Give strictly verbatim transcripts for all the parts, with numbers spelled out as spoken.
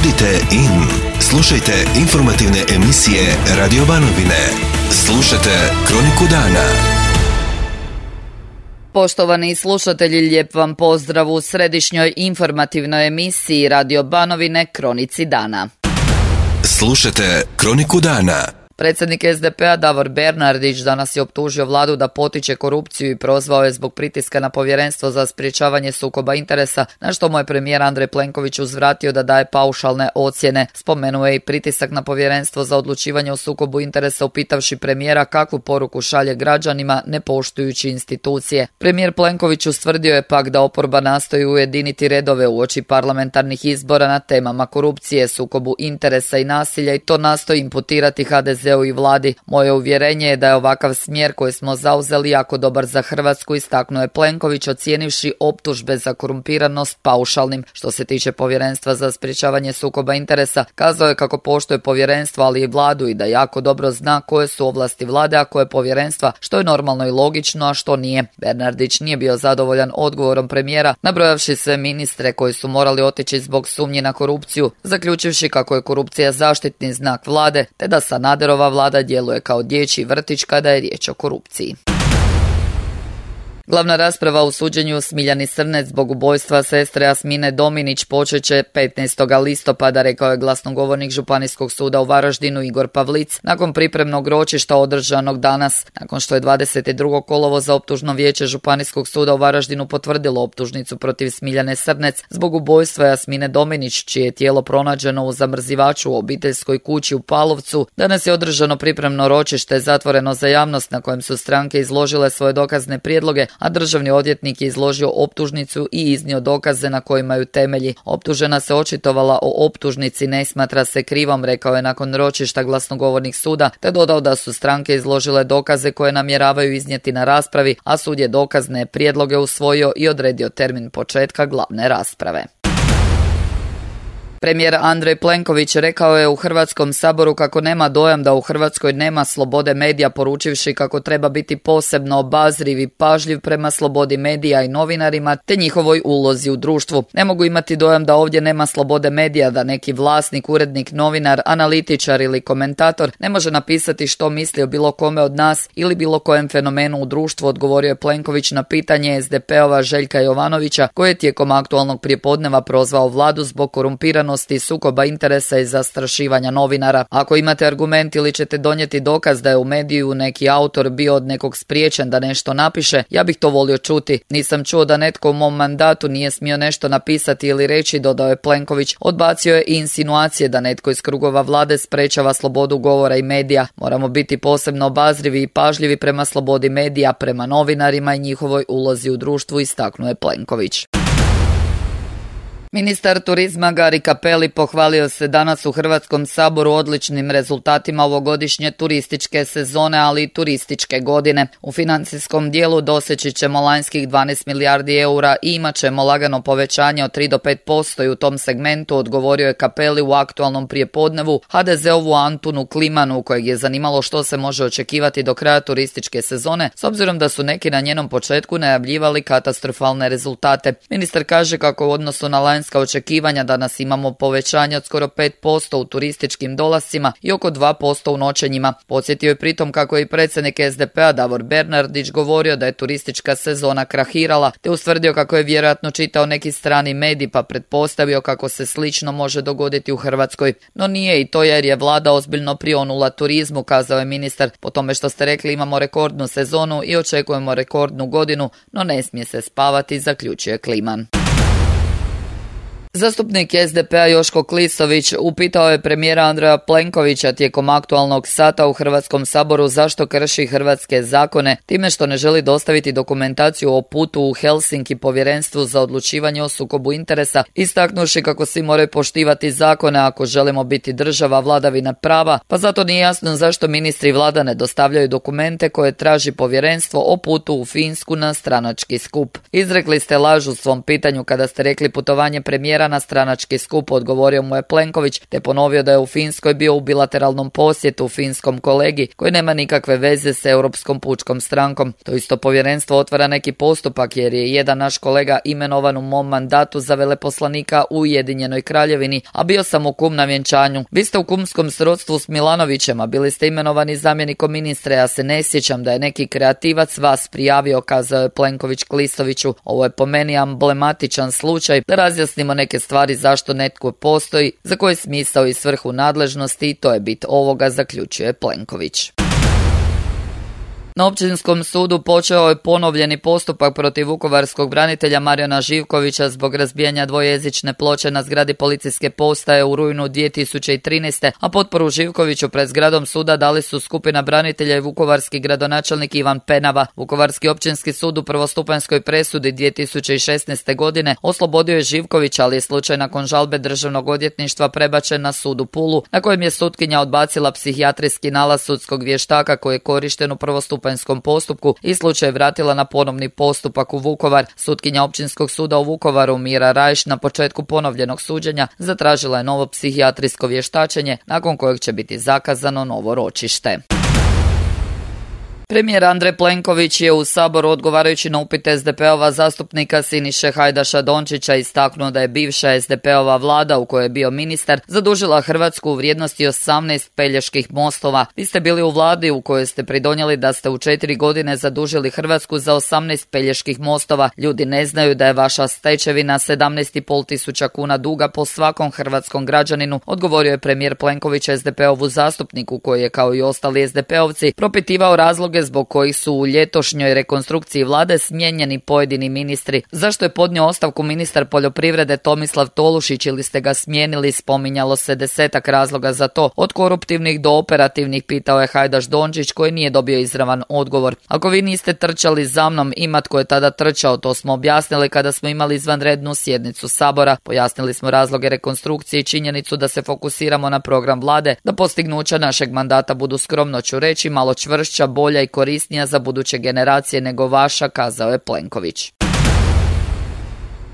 Budite in. Slušajte informativne emisije Radio Banovine. Slušajte Kroniku dana. Poštovani slušatelji, lijep vam pozdrav u središnjoj informativnoj emisiji Radio Banovine Kronici dana. Slušajte Kroniku dana. Predsjednik es de pe a Davor Bernardić danas je optužio vladu da potiče korupciju i prozvao je zbog pritiska na Povjerenstvo za sprječavanje sukoba interesa, na što mu je premijer Andrej Plenković uzvratio da daje paušalne ocjene. Spomenuo je i pritisak na Povjerenstvo za odlučivanje o sukobu interesa, upitavši premijera kakvu poruku šalje građanima ne poštujući institucije. Premijer Plenković ustvrdio je pak da oporba nastoji ujediniti redove uoči parlamentarnih izbora na temama korupcije, sukobu interesa i nasilja i to nastoji imputirati ha de ze i vladi. Moje uvjerenje je da je ovakav smjer koji smo zauzeli jako dobar za Hrvatsku, istaknuo je Plenković ocijenivši optužbe za korumpiranost paušalnim. Što se tiče Povjerenstva za sprječavanje sukoba interesa, kazao je kako poštuje povjerenstvo, ali i vladu i da jako dobro zna koje su ovlasti vlade, a koje povjerenstva, što je normalno i logično, a što nije. Bernardić nije bio zadovoljan odgovorom premijera, nabrojavši sve ministre koji su morali otići zbog sumnji na korupciju, zaključivši kako je korupcija zaštitni znak vlade, te da Sanaderova vlada djeluje kao dječji vrtić kada je riječ o korupciji. Glavna rasprava u suđenju Smiljani Srnec zbog ubojstva sestre Jasmine Dominić počet će petnaestog listopada, rekao je glasnogovornik Županijskog suda u Varaždinu Igor Pavlic nakon pripremnog ročišta održanog danas. Nakon što je dvadeset drugog kolovoza optužno vijeće Županijskog suda u Varaždinu potvrdilo optužnicu protiv Smiljane Srnec zbog ubojstva Jasmine Dominić, čije je tijelo pronađeno u zamrzivaču u obiteljskoj kući u Palovcu, danas je održano pripremno ročište zatvoreno za javnost na kojem su stranke izložile svoje dokazne prijedloge, a državni odvjetnik je izložio optužnicu i iznio dokaze na kojima ju temelji. Optužena se očitovala o optužnici, ne smatra se krivom, rekao je nakon ročišta glasnogovornik suda, te dodao da su stranke izložile dokaze koje namjeravaju iznijeti na raspravi, a sud je dokazne prijedloge usvojio i odredio termin početka glavne rasprave. Premijer Andrej Plenković rekao je u Hrvatskom saboru kako nema dojam da u Hrvatskoj nema slobode medija, poručivši kako treba biti posebno obazriv i pažljiv prema slobodi medija i novinarima te njihovoj ulozi u društvu. Ne mogu imati dojam da ovdje nema slobode medija, da neki vlasnik, urednik, novinar, analitičar ili komentator ne može napisati što misli o bilo kome od nas ili bilo kojem fenomenu u društvu, odgovorio je Plenković na pitanje es de pe ova Željka Jovanovića, koji je tijekom aktualnog prijepodneva prozvao vladu zbog korumpiranosti, sukoba interesa i zastrašivanja novinara. Ako imate argument ili ćete donijeti dokaz da je u mediju neki autor bio od nekog spriječen da nešto napiše, ja bih to volio čuti. Nisam čuo da netko u mom mandatu nije smio nešto napisati ili reći, dodao je Plenković. Odbacio je i insinuacije da netko iz krugova vlade sprečava slobodu govora i medija. Moramo biti posebno obazrivi i pažljivi prema slobodi medija, prema novinarima i njihovoj ulozi u društvu, istaknuo je Plenković. Ministar turizma Gari Cappelli pohvalio se danas u Hrvatskom saboru odličnim rezultatima ovogodišnje turističke sezone, ali i turističke godine. U financijskom dijelu doseći ćemo lanjskih dvanaest milijardi eura i imat ćemo lagano povećanje od tri do pet posto i u tom segmentu, odgovorio je Cappelli u aktualnom prijepodnevu ha de ze-ovu Antunu Klimanu, kojeg je zanimalo što se može očekivati do kraja turističke sezone, s obzirom da su neki na njenom početku najavljivali katastrofalne rezultate. Ministar kaže kako u odnosu na lanjska očekivanja danas imamo povećanje od skoro pet posto u turističkim dolascima i oko dva posto u noćenjima. Podsjetio je pritom kako je i predsjednik es de pe a Davor Bernardić govorio da je turistička sezona krahirala, te ustvrdio kako je vjerojatno čitao neki strani medij pa pretpostavio kako se slično može dogoditi u Hrvatskoj. No nije i to, jer je vlada ozbiljno prionula turizmu, kazao je ministar. Po tome što ste rekli, imamo rekordnu sezonu i očekujemo rekordnu godinu, no ne smije se spavati, zaključuje Kliman. Zastupnik es de pe a Joško Klisović upitao je premijera Andreja Plenkovića tijekom aktualnog sata u Hrvatskom saboru zašto krši hrvatske zakone time što ne želi dostaviti dokumentaciju o putu u Helsinki Povjerenstvu za odlučivanje o sukobu interesa, istaknuši kako svi moraju poštivati zakone ako želimo biti država vladavina prava, pa zato nije jasno zašto ministri vlada ne dostavljaju dokumente koje traži povjerenstvo o putu u Finsku na stranački skup. Izrekli ste laž u svom pitanju kada ste rekli putovanje premijera planira na stranački skup, odgovorio mu je Plenković, te ponovio da je u Finskoj bio u bilateralnom posjetu finskom kolegi koji nema nikakve veze s Europskom pučkom strankom. To isto povjerenstvo otvara neki postupak jer je jedan naš kolega imenovan u mom mandatu za veleposlanika u Ujedinjenoj Kraljevini, a bio sam u kum na vjenčanju. Vi ste u kumskom srodstvu s Milanovićem, a bili ste imenovani zamjenikom ministra. Ja se ne sjećam da je neki kreativac vas prijavio, kazao je Plenković Klisoviću. Ovo je po meni amblematičan slučaj da razjasnimo neke stvari zašto netko postoji, za koji smisao i svrhu nadležnosti i to je bit ovoga, zaključuje Plenković. Na Općinskom sudu počeo je ponovljeni postupak protiv vukovarskog branitelja Marijana Živkovića zbog razbijanja dvojezične ploče na zgradi policijske postaje u rujnu dvije tisuće trinaeste. a potporu Živkoviću pred zgradom suda dali su skupina branitelja i vukovarski gradonačelnik Ivan Penava. Vukovarski općinski sud u prvostupanjskoj presudi dvije tisuće šesnaeste. godine oslobodio je Živkovića, ali je slučaj nakon žalbe Državnog odvjetništva prebačen na sud u Pulu, na kojem je sutkinja odbacila psihijatrijski nalaz sudskog vještaka koji je korišten u prvostupanjskom postupku i slučaj vratila na ponovni postupak u Vukovar. Sutkinja Općinskog suda u Vukovaru Mira Rajš na početku ponovljenog suđenja zatražila je novo psihijatrijsko vještačenje, nakon kojeg će biti zakazano novo ročište. Premijer Andrej Plenković je u Saboru odgovarajući na upit es de pe-ova zastupnika Siniše Hajdaša Dončića istaknuo da je bivša es de pe-ova vlada u kojoj je bio ministar zadužila Hrvatsku u vrijednosti osamnaest Peljeških mostova. Vi ste bili u vladi u kojoj ste pridonijeli da ste u četiri godine zadužili Hrvatsku za osamnaest Peljeških mostova. Ljudi ne znaju da je vaša stečevina sedamnaest i pol tisuća kuna duga po svakom hrvatskom građaninu, odgovorio je premijer Plenković es de pe-ovu zastupniku koji je kao i ostali es de pe-ovci propitivao razloge zbog kojih su u ljetošnjoj rekonstrukciji vlade smijenjeni pojedini ministri. Zašto je podnio ostavku ministar poljoprivrede Tomislav Tolušić ili ste ga smijenili, spominjalo se desetak razloga za to. Od koruptivnih do operativnih, pitao je Hajdaš Dončić koji nije dobio izravan odgovor. Ako vi niste trčali za mnom, ima tko je tada trčao, to smo objasnili kada smo imali izvanrednu sjednicu Sabora. Pojasnili smo razloge rekonstrukcije i činjenicu da se fokusiramo na program vlade, da postignuća našeg mandata budu, skromno ću reći, malo čvršća, bolja i korisnija za buduće generacije nego vaša, kazao je Plenković.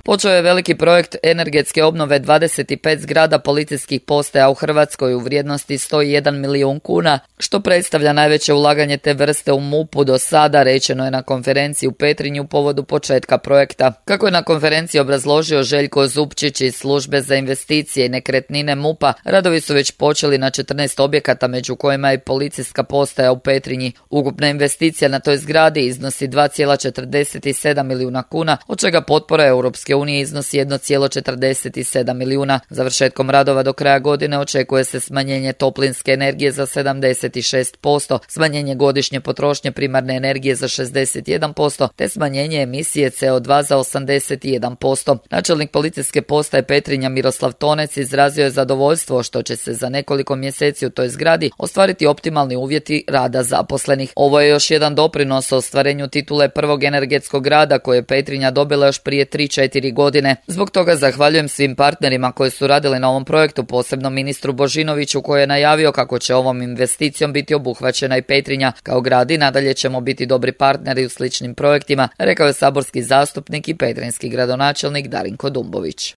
Počeo je veliki projekt energetske obnove dvadeset pet zgrada policijskih postaja u Hrvatskoj u vrijednosti sto jedan milijun kuna, što predstavlja najveće ulaganje te vrste u M U P-u do sada, rečeno je na konferenciji u Petrinji u povodu početka projekta. Kako je na konferenciji obrazložio Željko Zupčić iz službe za investicije i nekretnine M U P-a, radovi su već počeli na četrnaest objekata, među kojima je policijska postaja u Petrinji. Ukupna investicija na toj zgradi iznosi dva zarez četrdeset sedam milijuna kuna, od čega potpora Europske unije iznosi jedan zarez četrdeset sedam milijuna. Završetkom radova do kraja godine očekuje se smanjenje toplinske energije za sedamdeset šest posto, smanjenje godišnje potrošnje primarne energije za šezdeset jedan posto, te smanjenje emisije ce o dva za osamdeset jedan posto. Načelnik policijske postaje Petrinja Miroslav Tonec izrazio je zadovoljstvo što će se za nekoliko mjeseci u toj zgradi ostvariti optimalni uvjeti rada zaposlenih. Ovo je još jedan doprinos o ostvarenju titule prvog energetskog grada koje je Petrinja dobila još prije tri četiri godine. Zbog toga zahvaljujem svim partnerima koji su radili na ovom projektu, posebno ministru Božinoviću koji je najavio kako će ovom investicijom biti obuhvaćena i Petrinja. Kao grad i nadalje ćemo biti dobri partneri u sličnim projektima, rekao je saborski zastupnik i petrinjski gradonačelnik Darinko Dumbović.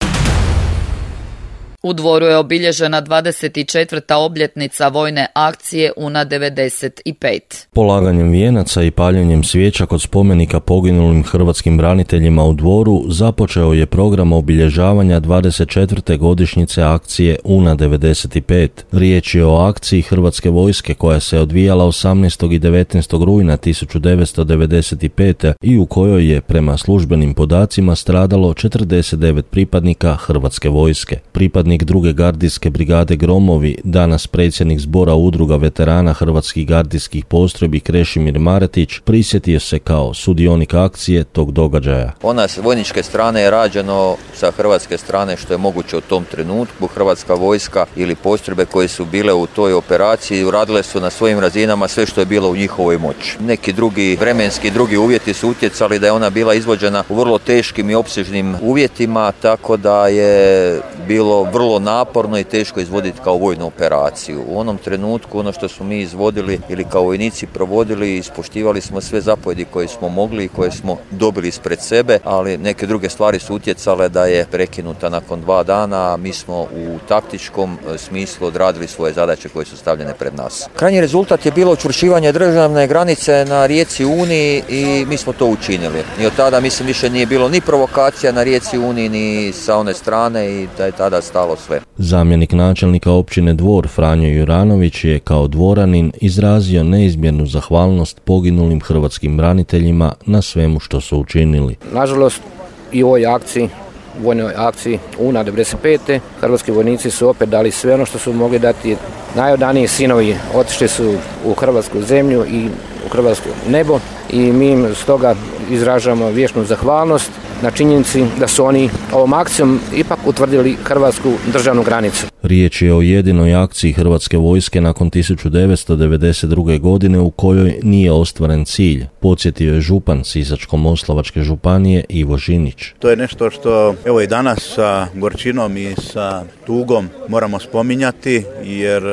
U Dvoru je obilježena dvadeset četvrta obljetnica vojne akcije Una devedeset pet. Polaganjem vijenaca i paljenjem svijeća kod spomenika poginulim hrvatskim braniteljima u Dvoru započeo je program obilježavanja dvadeset četvrte godišnjice akcije Una devedeset pet. Riječ je o akciji Hrvatske vojske koja se odvijala osamnaestog i devetnaestog rujna tisuću devetsto devedeset pete. i u kojoj je prema službenim podacima stradalo četrdeset devet pripadnika Hrvatske vojske. Pripadnik druge gardijske brigade Gromovi, danas predsjednik zbora udruga veterana hrvatskih gardijskih postrojbi Krešimir Maretić, prisjetio se kao sudionik akcije tog događaja. Ona s vojničke strane je rađeno sa hrvatske strane što je moguće u tom trenutku. Hrvatska vojska ili postrojbe koje su bile u toj operaciji uradile su na svojim razinama sve što je bilo u njihovoj moći. Neki drugi vremenski drugi uvjeti su utjecali da je ona bila izvođena u vrlo teškim i opsežnim uvjetima, tako da je bilo vrlo vrlo naporno i teško izvoditi kao vojnu operaciju. U onom trenutku ono što smo mi izvodili ili kao vojnici provodili, ispoštivali smo sve zapovjedi koje smo mogli i koje smo dobili ispred sebe, ali neke druge stvari su utjecale da je prekinuta nakon dva dana, a mi smo u taktičkom smislu odradili svoje zadaće koje su stavljene pred nas. Krajnji rezultat je bilo učvršćivanje državne granice na rijeci Uni i mi smo to učinili. I od tada mislim više nije bilo ni provokacija na rijeci Uni ni sa one strane i da je tada stalo sve. Zamjenik načelnika općine Dvor Franjo Juranović je kao dvoranin izrazio neizmjernu zahvalnost poginulim hrvatskim braniteljima na svemu što su učinili. Nažalost, i u ovoj akciji, vojnoj akciji Una devedeset pete hrvatski vojnici su opet dali sve ono što su mogli dati. Najodaniji sinovi otišli su u hrvatsku zemlju i u hrvatsko nebo i mi im stoga izražavamo vječnu zahvalnost na činjenici da su oni ovom akcijom ipak utvrdili hrvatsku državnu granicu. Riječ je o jedinoj akciji Hrvatske vojske nakon tisuću devetsto devedeset druge. godine u kojoj nije ostvaren cilj, podsjetio je župan Sisačko-moslavačke županije Ivo Žinić. To je nešto što evo i danas sa gorčinom i sa tugom moramo spominjati, jer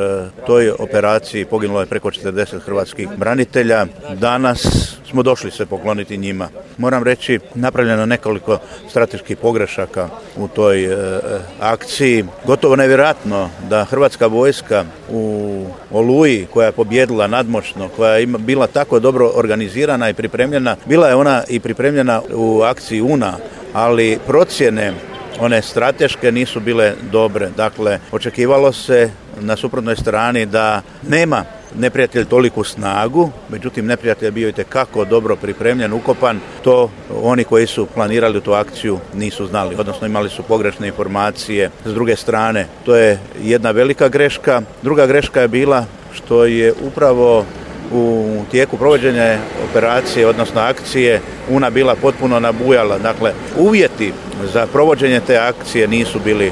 toj operaciji poginulo je preko četrdeset hrvatskih branitelja. Danas smo došli se pokloniti njima. Moram reći, napravljeno nekoliko strateških pogrešaka u toj e, akciji. Gotovo nevjerojatno da Hrvatska vojska u Oluji, koja je pobjedila nadmoćno, koja je bila tako dobro organizirana i pripremljena, bila je ona i pripremljena u akciji Una, ali procjene one strateške nisu bile dobre. Dakle, očekivalo se na suprotnoj strani da nema neprijatelj toliku snagu, međutim neprijatelj je bio itekako dobro pripremljen, ukopan. To oni koji su planirali tu akciju nisu znali, odnosno imali su pogrešne informacije. S druge strane, to je jedna velika greška. Druga greška je bila što je upravo u tijeku provođenja operacije, odnosno akcije, Una bila potpuno nabujala. Dakle, uvjeti za provođenje te akcije nisu bili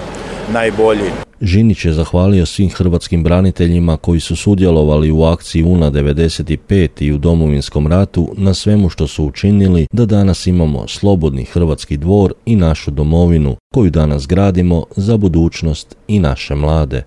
najbolji. Žinić je zahvalio svim hrvatskim braniteljima koji su sudjelovali u akciji Una devedeset pet i u Domovinskom ratu na svemu što su učinili da danas imamo slobodni hrvatski Dvor i našu domovinu, koju danas gradimo za budućnost i naše mlade.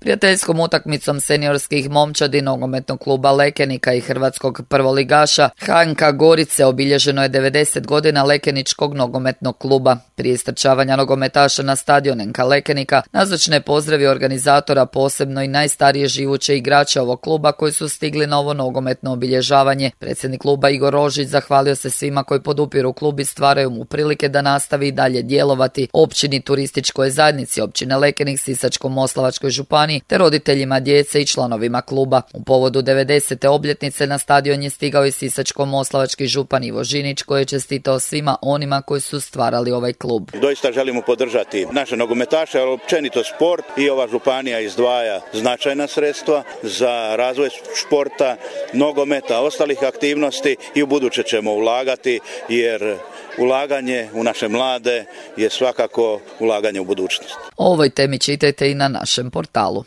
Prijateljskom utakmicom seniorskih momčadi nogometnog kluba Lekenika i hrvatskog prvoligaša H N K Gorice obilježeno je devedeset godina Lekeničkog nogometnog kluba. Prije istrčavanja nogometaša na stadion N K Lekenika nazočne je pozdravio organizatora, posebno i najstarije živuće igrače ovog kluba koji su stigli na ovo nogometno obilježavanje. Predsjednik kluba Igor Rožić zahvalio se svima koji podupiru klub i stvaraju mu prilike da nastavi i dalje djelovati, općini, turističkoj zajednici općine Lekenik, Sisačko-moslavačkoj županiji te roditeljima djece i članovima kluba. U povodu devedesete obljetnice na stadion je stigao i Sisačko-moslavački župan Ivo Žinić, koji je čestitao svima onima koji su stvarali ovaj klub. Doista želimo podržati naše nogometaše, ali općenito sport, i ova županija izdvaja značajna sredstva za razvoj športa, nogometa, ostalih aktivnosti i u buduće ćemo ulagati, jer ulaganje u naše mlade je svakako ulaganje u budućnost. O ovoj temi čitajte i na našem portalu.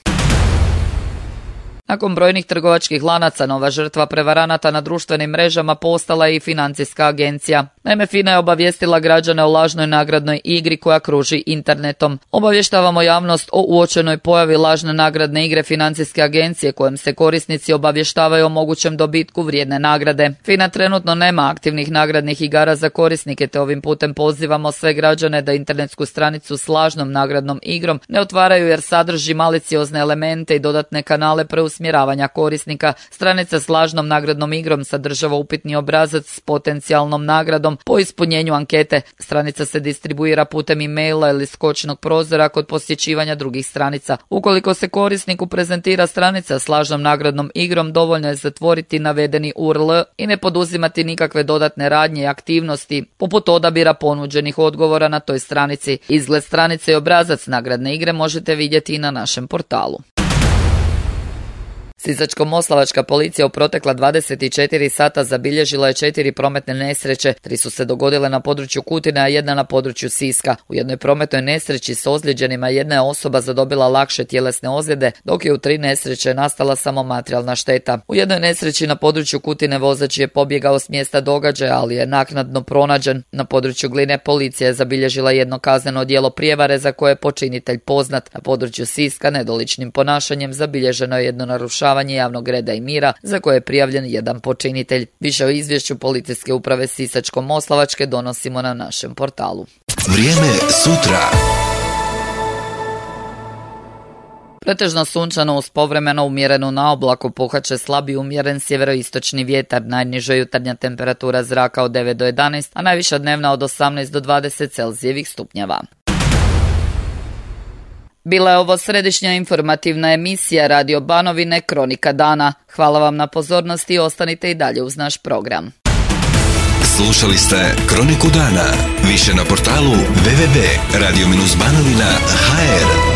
Nakon brojnih trgovačkih lanaca, nova žrtva prevaranata na društvenim mrežama postala je i financijska agencija. Naime, FINA je obavijestila građane o lažnoj nagradnoj igri koja kruži internetom. Obavještavamo javnost o uočenoj pojavi lažne nagradne igre financijske agencije kojom se korisnici obavještavaju o mogućem dobitku vrijedne nagrade. FINA trenutno nema aktivnih nagradnih igara za korisnike, te ovim putem pozivamo sve građane da internetsku stranicu s lažnom nagradnom igrom ne otvaraju jer sadrži maliciozne elemente i dodatne kanale preusmjeravanja korisnika. Stranica s lažnom nagradnom igrom sadržava upitni obrazac s potencijalnom nagradom po ispunjenju ankete. Stranica se distribuira putem e-maila ili skočnog prozora kod posjećivanja drugih stranica. Ukoliko se korisniku prezentira stranica s lažnom nagradnom igrom, dovoljno je zatvoriti navedeni U R L i ne poduzimati nikakve dodatne radnje i aktivnosti, poput odabira ponuđenih odgovora na toj stranici. Izgled stranice i obrazac nagradne igre možete vidjeti i na našem portalu. Sisačko-moslavačka policija u protekla dvadeset četiri sata zabilježila je četiri prometne nesreće, tri su se dogodile na području Kutine, a jedna na području Siska. U jednoj prometnoj nesreći s ozlijeđenima jedna je osoba zadobila lakše tjelesne ozljede, dok je u tri nesreće nastala samo materijalna šteta. U jednoj nesreći na području Kutine vozač je pobjegao s mjesta događaja, ali je naknadno pronađen. Na području Gline policija je zabilježila jedno kazneno djelo prijevare za koje je počinitelj poznat. Na području Siska nedoličnim ponašanjem zabilježeno je jedno narušavanje javnog reda i mira za koje je prijavljen jedan počinitelj. Više o izvješću policijske uprave Sisačko-moslavačke donosimo na našem portalu. Vrijeme sutra. Pretežno sunčano uz povremeno umjerenu na oblaku, puhat će slabi umjeren sjeveroistočni vjetar, najniža jutarnja temperatura zraka od devet do jedanaest, a najviša dnevna od osamnaest do dvadeset Celzijevih stupnjeva. Bila je ovo središnja informativna emisija Radio Banovine Kronika dana. Hvala vam na pozornosti i ostanite i dalje uz naš program. Slušali ste Kroniku dana. Više na portalu w w w tačka radio banovina tačka h r.